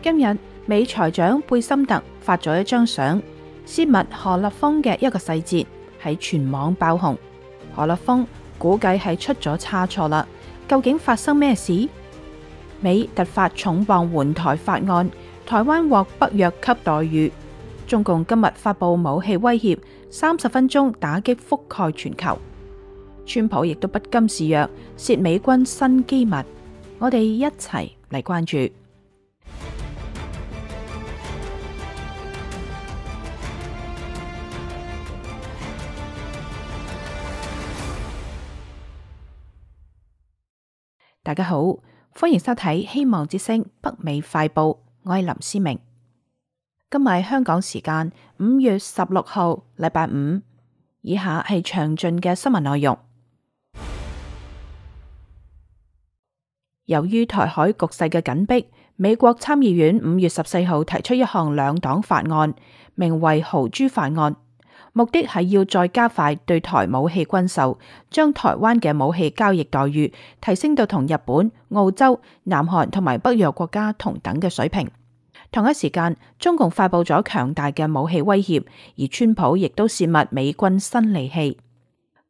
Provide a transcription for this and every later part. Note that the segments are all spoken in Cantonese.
今日美財長貝森特發咗一張相，泄密何立峰嘅一個細節喺全網爆紅。何立峰估計係出咗差錯啦，究竟發生咩事？美突發重磅援台法案，台灣獲北約級待遇。中共今日發布武器威脅，30分鐘打擊覆蓋全球。川普亦都不甘示弱，洩美軍新機密。我哋一齊嚟關注。大家好，歡迎收睇《希望之聲》北美快報，我係林思明。今日香港時間5月16號，禮拜五。以下係詳盡嘅新聞內容。由於台海局勢嘅緊迫，美國參議院5月14號提出一項兩黨法案，名為豪豬法案，目的係要再加快對台武器軍售，將台灣嘅武器交易待遇提升到同日本、澳洲、南韓同埋北約國家同等嘅水平。同一時間，中共發佈咗強大嘅武器威脅，而川普亦都洩密美軍新利器。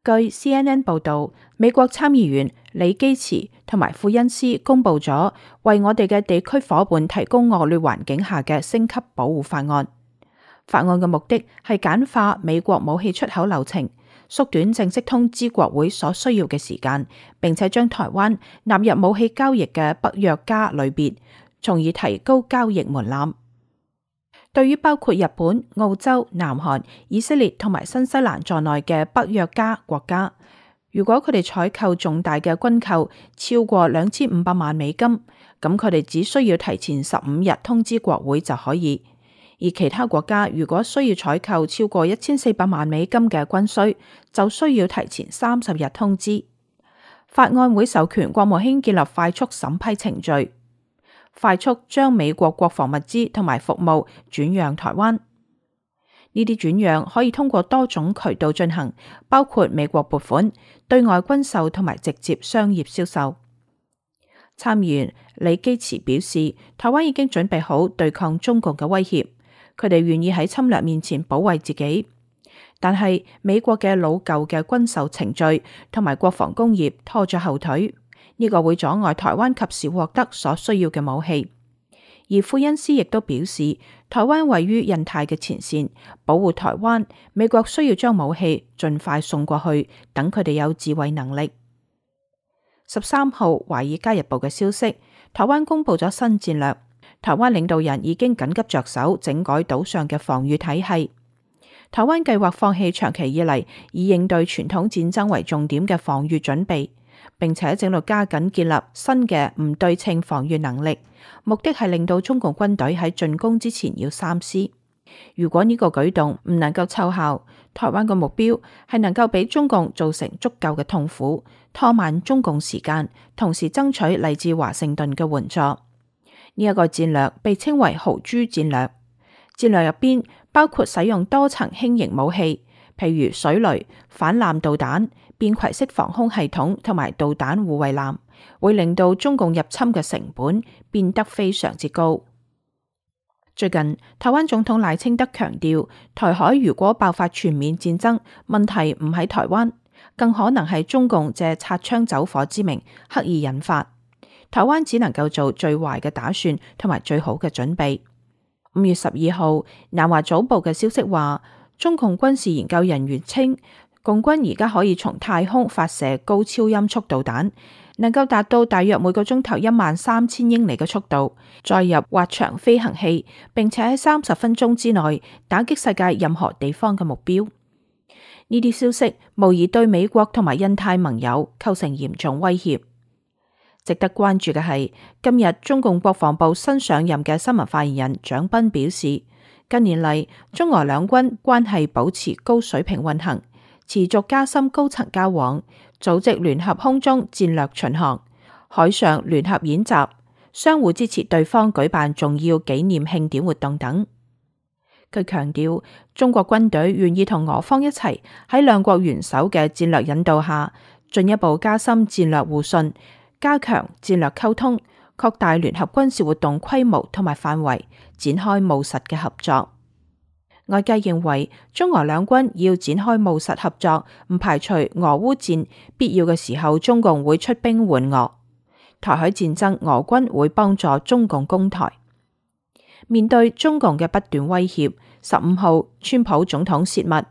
據 CNN 報道，美國參議員李基慈同埋庫恩斯公布咗為我哋嘅地區夥伴提供惡劣環境下嘅升級保護法案。法案嘅目的係簡化美國武器出口流程，縮短正式通知國會所需要嘅時間，並且將台灣納入武器交易嘅北約家類別，從而提高交易門檻。對於包括日本、澳洲、南韓、以色列同埋新西蘭在內嘅北約家國家，如果佢哋採購重大嘅軍購超過2500萬美金，咁佢哋只需要提前15日通知國會就可以。而其他國家如果需要採購超過1400萬美金嘅軍需，就需要提前30日通知。法案會授權國務卿建立快速審批程序，快速將美國國防物資同埋服務轉讓台灣。呢啲轉讓可以通過多種渠道進行，包括美國撥款、對外軍售同埋直接商業銷售。參議員李基慈表示，台灣已經準備好對抗中共嘅威脅，佢哋願意喺侵略面前保衛自己。但係美國嘅老舊嘅軍售程序同埋國防工業拖咗後腿。呢個會阻礙台灣及時獲得所需要嘅武器，而庫恩斯亦都表示，台灣位於印太嘅前線，保護台灣，美國需要將武器盡快送過去，等佢哋有自衛能力。13號《華爾街日報》嘅消息，台灣公布咗新戰略，台灣領導人已經緊急着手整改島上嘅防禦體系。台灣計劃放棄長期以嚟以應對傳統戰爭為重點嘅防禦準備，並且正在加緊建立新嘅唔對稱防禦能力，目的係令到中共軍隊喺進攻之前要三思。如果呢個舉動唔能夠奏效，台灣嘅目標係能夠俾中共造成足夠嘅痛苦，拖慢中共時間，同時爭取嚟自華盛頓嘅援助。呢一個戰略被稱為豪豬戰略。戰略入邊包括使用多層輕型武器，譬如水雷、反艦導彈、便攜式防空系統同埋導彈護衛艦，會令到中共入侵嘅成本變得非常之高。最近，台灣總統賴清德強調，台海如果爆發全面戰爭，問題唔喺台灣，更可能係中共借擦槍走火之名刻意引發。台灣只能夠做最壞嘅打算同埋最好嘅準備。5月12號，南華早報嘅消息話，中共軍事研究人員稱，共軍而家可以從太空發射高超音速導彈，能夠達到大約每個鐘頭13000英里嘅速度，載入滑翔飛行器，並且喺30分鐘之內打擊世界任何地方嘅目標。呢啲消息無疑對美國同埋印太盟友構成嚴重威脅。值得關注嘅係，今日中共國防部新上任嘅新聞發言人蔣斌表示，近年嚟中俄兩軍關係保持高水平運行，持續加深高層交往，組織聯合空中戰略巡航、海上聯合演習，相互支持對方舉辦重要紀念慶典活動等。佢強調，中國軍隊願意同俄方一齊喺兩國元首嘅戰略引導下，進一步加深戰略互信，加強戰略溝通，擴大聯合軍事活動規模同埋範圍，展開務實嘅合作。外界認為中俄兩軍要展開務實合作，唔排除俄烏戰必要嘅時候，中共會出兵援俄。台海戰爭，俄軍會幫助中共攻台。面對中共嘅不斷威脅，15號川普總統洩密，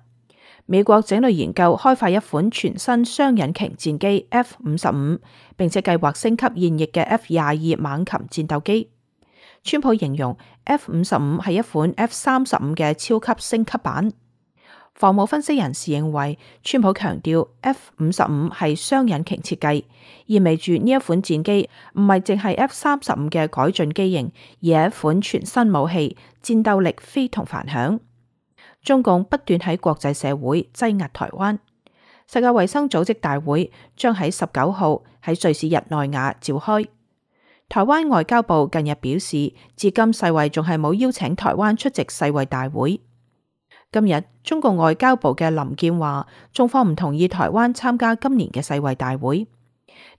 美國正在研究開發一款全新雙引擎戰機 F-55，並且計劃升級現役嘅 F-22猛禽戰鬥機。川普形容 F-55係一款 F-35嘅超級升級版。防務分析人士認為，川普強調 F-55係雙引擎設計，意味住呢一款戰機唔係淨係 F-35嘅改進機型，而係一款全新武器，戰鬥力非同凡響。中共不斷喺國際社會擠壓台灣。世界衛生組織大會將喺19號喺瑞士日內瓦召開。台灣外交部近日表示，至今世衛仲係冇邀請台灣出席世衛大會。今日中共外交部嘅林健話，中方唔同意台灣參加今年嘅世衛大會。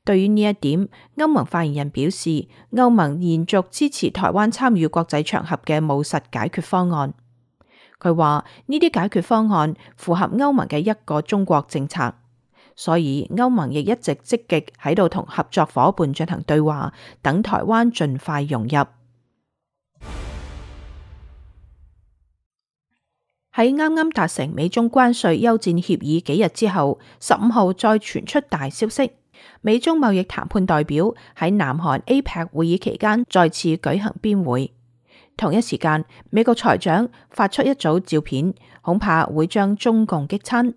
對於呢一點，歐盟發言人表示，歐盟延續支持台灣參與國際場合嘅務實解決方案。佢話呢啲解決方案符合歐盟嘅一個中國政策，所以歐盟亦一直積極喺度同合作夥伴進行對話，等台灣盡快融入。喺啱啱達成美中關稅休戰協議幾日之後，15號再傳出大消息，美中貿易談判代表喺南韓 APEC 會議期間再次舉行邊會。同一時間，美國財長發出一組照片，恐怕會將中共激親。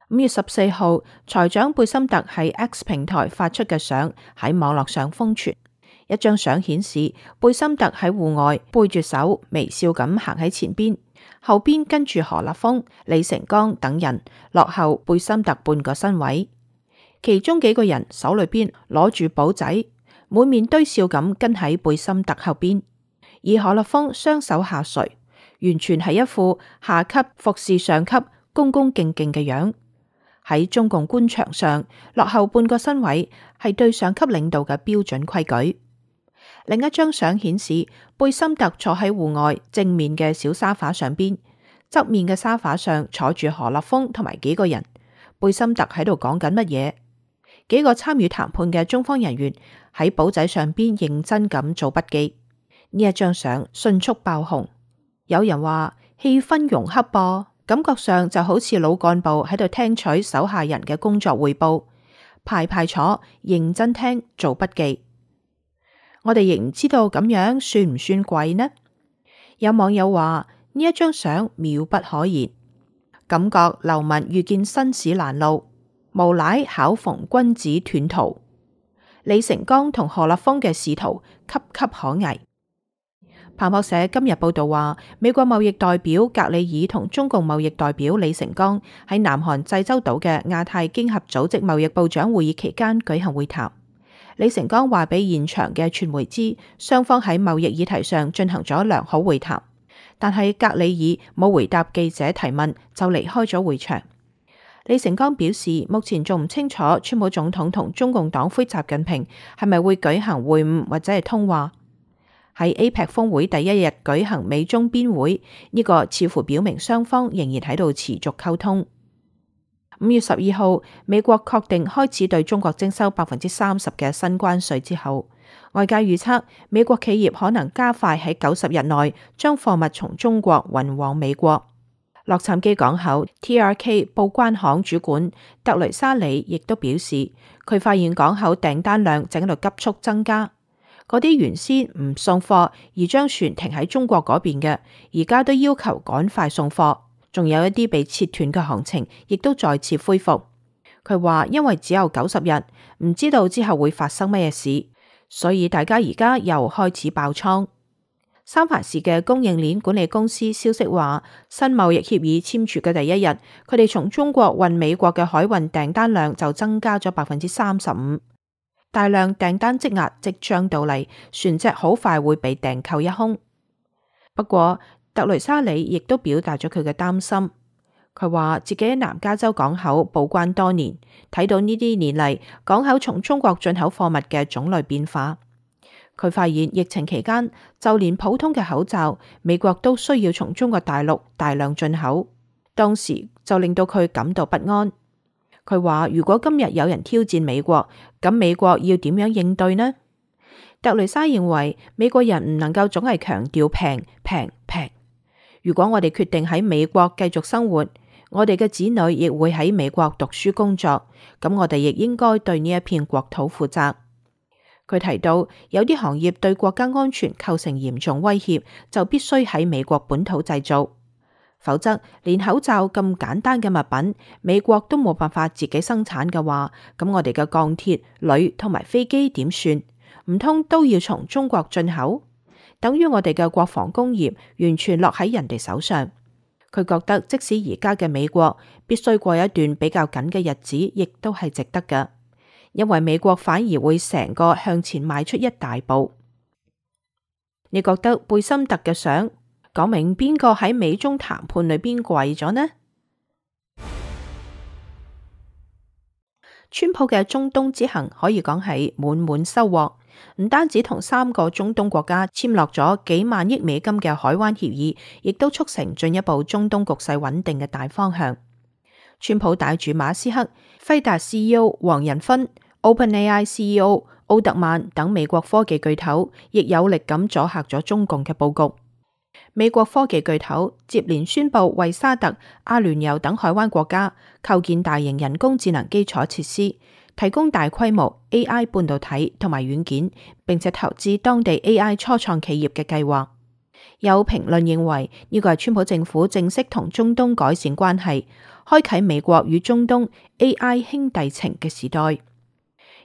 5月14號，財長貝森特喺 X 平台發出嘅相喺網絡上瘋傳。一張相顯示貝森特喺戶外背住手，微笑咁行喺前邊，後邊跟住何立峰、李成鋼等人，落後貝森特半個身位。其中幾個人手裏邊攞住簿仔，滿面堆笑咁跟喺貝森特後邊。而何立峰雙手下垂，完全係一副下級服侍上級、恭恭敬敬嘅樣。喺中共官場上，落後半個身位係對上級領導嘅標準規矩。另一張相顯示，貝森特坐喺戶外正面嘅小沙發上邊，側面嘅沙發上坐住何立峰同埋幾個人。貝森特喺度講緊乜嘢？幾個參與談判嘅中方人員喺簿仔上邊認真咁做筆記。呢一張相迅速爆紅，有人話氣氛融洽噃，感覺上就好似老幹部喺度聽取手下人嘅工作匯報，排排坐，認真聽，做筆記。我哋亦唔知道咁樣算唔算貴呢？有網友話呢一張相妙不可言，感覺流民遇見紳士攔路，無賴巧逢君子斷途。李成鋼同何立峰嘅仕途岌岌可危。彭博社今日報道話，美國貿易代表格里爾同中共貿易代表李成鋼喺南韓濟州島嘅亞太經合組織貿易部長會議期間舉行會談。李成鋼話俾現場嘅傳媒知，雙方喺貿易議題上進行咗良好會談，但係格里爾冇回答記者提問就離開咗會場。李成鋼表示，目前仲唔清楚川普總統同中共黨魁習近平係咪會舉行會晤或者係通話。喺 APEC 峰會第一日舉行美中邊會，呢個似乎表明雙方仍然喺度持續溝通。5月12號，美國確定開始對中國徵收30%嘅新關稅之後，外界預測美國企業可能加快喺90日內將貨物從中國運往美國。洛杉磯港口 TRK 報關行主管特雷莎里亦都表示，佢發現港口訂單量正喺度急速增加。嗰啲原先唔送貨而將船停喺中國嗰邊嘅，而家都要求趕快送貨。仲有一啲被切斷嘅行程，亦都再次恢復。佢話因為只有90日，唔知道之後會發生乜嘢事，所以大家而家又開始爆倉。三藩市嘅供應鏈管理公司消息話，新貿易協議簽署嘅第一日，佢哋從中國運美國嘅海運訂單量就增加咗35%。大量訂單積壓即將到嚟，船隻好快會被訂購一空。不過，特雷莎里亦都表達咗佢嘅擔心。佢話自己喺南加州港口報關多年，睇到呢啲年嚟港口從中國進口貨物嘅種類變化。佢發現疫情期間，就連普通嘅口罩，美國都需要從中國大陸大量進口，當時就令到佢感到不安。佢話：如果今日有人挑戰美國，咁美國要點樣應對呢？特雷莎認為美國人唔能夠總係強調平平平。如果我哋決定喺美國繼續生活，我哋嘅子女亦會喺美國讀書工作，咁我哋亦應該對呢一片國土負責。佢提到，有啲行業對國家安全構成嚴重威脅，就必須喺美國本土製造，否則連口罩咁簡單嘅物品，美國都冇辦法自己生產嘅話，咁我哋嘅鋼鐵、鋁同埋飛機點算？唔通都要從中國進口？等於我哋嘅國防工業完全落喺人哋手上。佢覺得即使而家嘅美國必須過一段比較緊嘅日子，亦都係值得嘅，因為美國反而會成個向前邁出一大步。你覺得貝森特嘅相講明邊個喺美中談判裏邊跪咗呢？川普嘅中東之行可以講係滿滿收穫，唔單止同3個中東國家簽落咗幾萬億美金嘅海灣協議，亦都促成進一步中東局勢穩定嘅大方向。川普帶住馬斯克、輝達 CEO 黃仁勳、OpenAI CEO 奧特曼等美國科技巨頭，亦有力咁阻嚇咗中共嘅佈局。美國科技巨頭接連宣布為沙特、阿聯酋等海灣國家構建大型人工智能基礎設施，提供大規模 AI 半導體同埋軟件，並且投資當地 AI 初創企業嘅計劃。有評論認為呢個係川普政府正式同中東改善關係，開啟美國與中東 AI 兄弟情嘅時代。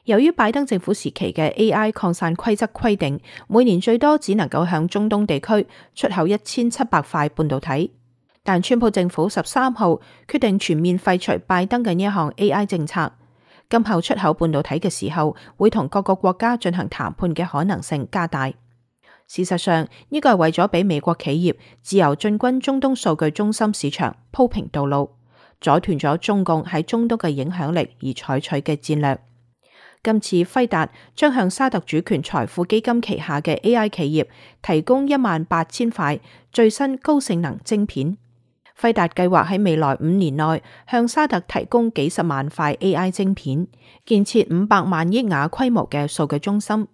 由於拜登政府時期嘅 AI 擴散規則規定，每年最多只能夠向中東地區出口1700塊半導體，但川普政府13號決定全面廢除拜登嘅呢一項 AI 政策，今後出口半導體嘅時候，會同各個國家進行談判嘅可能性加大。事實上，呢個係為咗俾美國企業自由進軍中東數據中心市場鋪平道路，阻斷咗中共喺中東嘅影響力而採取嘅戰略。今次輝達將向沙特主權財富基金旗下嘅 AI 企業提供18000塊最新高性能晶片。輝達計劃喺未來5年內向沙特提供幾十萬塊 AI 晶片，建設500萬億瓦規模嘅數據中心，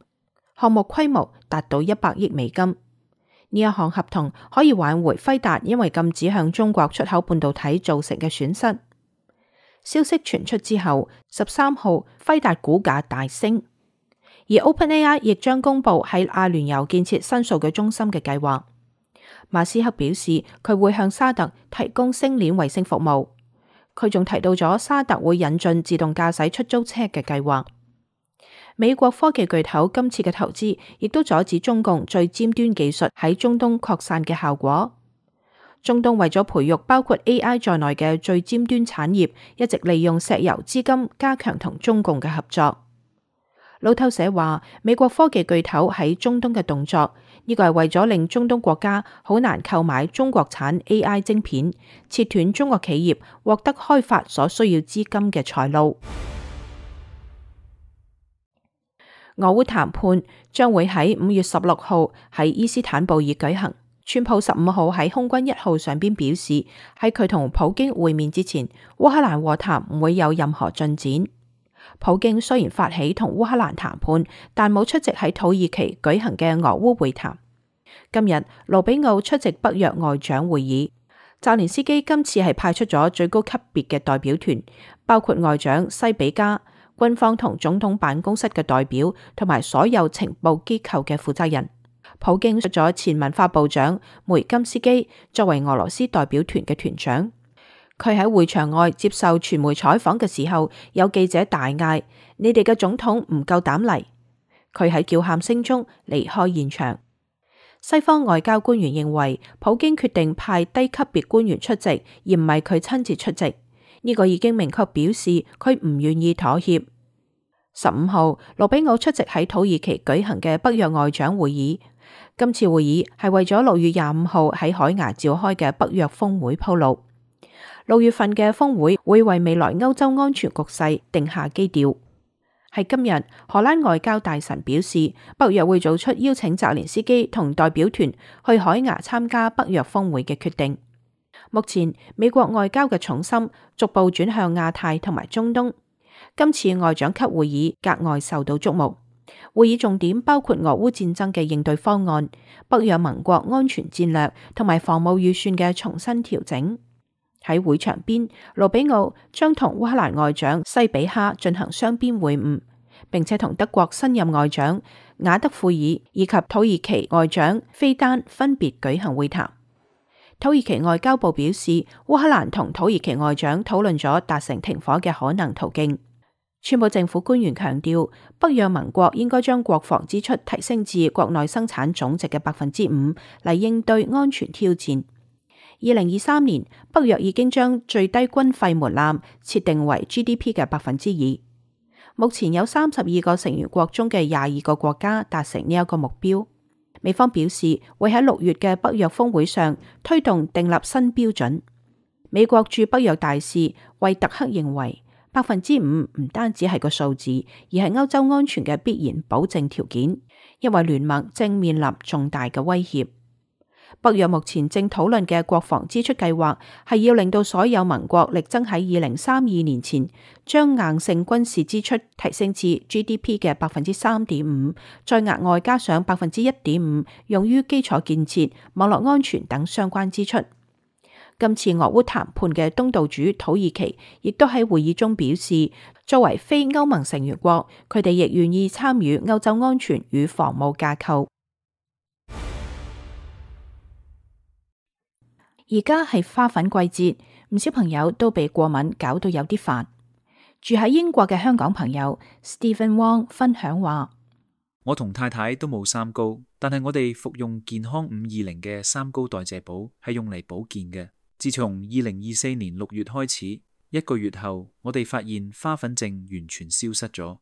項目規模達到100億美金。呢一項合同可以挽回輝達因為禁止向中國出口半導體造成嘅損失。消息傳出之後，13號輝達股價大升，而 OpenAI 亦將公布喺阿聯酋建設新數據中心嘅計劃。馬斯克表示佢會向沙特提供星鏈衛星服務，佢仲提到咗沙特會引進自動駕駛出租車嘅計劃。美國科技巨頭今次嘅投資亦都阻止中共最尖端技術喺中東擴散嘅效果。中東為咗培育包括 AI 在內嘅最尖端產業，一直利用石油資金加強同中共嘅合作。路透社話，美國科技巨頭喺中東嘅動作，呢個係為咗令中東國家好難購買中國產 AI 晶片，切斷中國企業獲得開發所需要資金嘅財路。俄烏談判將會喺5月16號喺伊斯坦布爾舉行。川普15號喺空軍1號上邊表示，喺佢同普京會面之前，烏克蘭和談唔會有任何進展。普京雖然發起同烏克蘭談判，但冇出席喺土耳其舉行嘅俄烏會談。今日盧比奧出席北約外長會議，澤連斯基今次係派出咗最高級別嘅代表團，包括外長西比加、軍方同總統辦公室嘅代表，同埋所有情報機構嘅負責人。普京出咗前文化部長梅金斯基作為俄羅斯代表團嘅團長。佢喺會場外接受傳媒採訪嘅時候，有記者大嗌：你哋嘅總統唔夠膽嚟！佢喺叫喊聲中離開現場。西方外交官員認為，普京決定派低級別官員出席，而唔係佢親自出席。呢個已經明確表示佢唔願意妥協。15號，盧比奧出席喺土耳其舉行嘅北約外長會議。今次會議係為咗6月25號喺海牙召開嘅北約峰會鋪路。6月份嘅峰會會為未來歐洲安全局勢定下基調。係今日，荷蘭外交大臣表示，北約會做出邀請澤連斯基同代表團去海牙參加北約峰會嘅決定。目前美國外交嘅重心逐步轉向亞太同埋中東。今次外長級會議格外受到矚目，會議重點包括俄烏戰爭嘅應對方案、北約盟國安全戰略同埋防務預算嘅重新調整。喺會場邊，盧比奧將同烏克蘭外長西比哈進行雙邊會晤，並且同德國新任外長雅德庫爾以及土耳其外長菲丹分別舉行會談。土耳其外交部表示，烏克蘭同土耳其外長討論咗達成停火嘅可能途徑。川普政府官員強調，北約盟國應該將國防支出提升至國內生產總值嘅5%嚟應對安全挑戰。2023年，北約已經將最低軍費門檻設定為 GDP 嘅2%。目前有32個成員國中嘅22個國家達成呢一個目標。美方表示會喺6月嘅北約峰會上推動訂立新標準。美國駐北約大使惠特克認為，5%唔單止係個數字，而係歐洲安全嘅必然保證條件，因為聯盟正面臨重大嘅威脅。北約目前正討論嘅國防支出計劃係要令到所有盟國力爭喺2032年前將硬性軍事支出提升至 GDP 嘅3.5%，再額外加上1.5%用於基礎建設、網絡安全等相關支出。今次俄烏談判嘅東道主土耳其亦都喺會議中表示，作為非歐盟成員國，佢哋亦願意參與歐洲安全與防務架構。而家係花粉季節，唔少朋友都被過敏搞到有啲煩。住喺英國嘅香港朋友 Stephen Wong 分享話：我同太太都冇三高，但係我哋服用健康520嘅三高代謝寶係用嚟保健嘅。自從2024年6月開始，1個月後，我哋發現花粉症完全消失咗。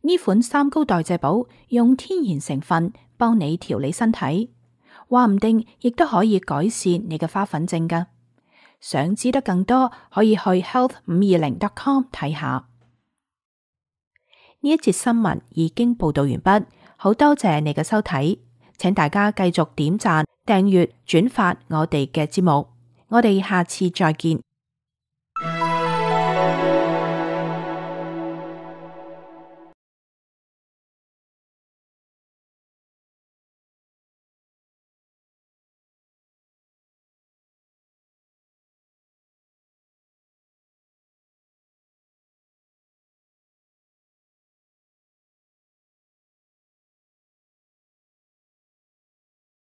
呢款三高代謝寶用天然成分幫你調理身體，話唔定亦都可以改善你嘅花粉症㗎。想知得更多，可以去 health520.com 睇下。呢一節新聞已經報道完畢，好多謝你嘅收睇，請大家繼續點讚、訂閱、轉發我哋嘅節目，我哋下次再見。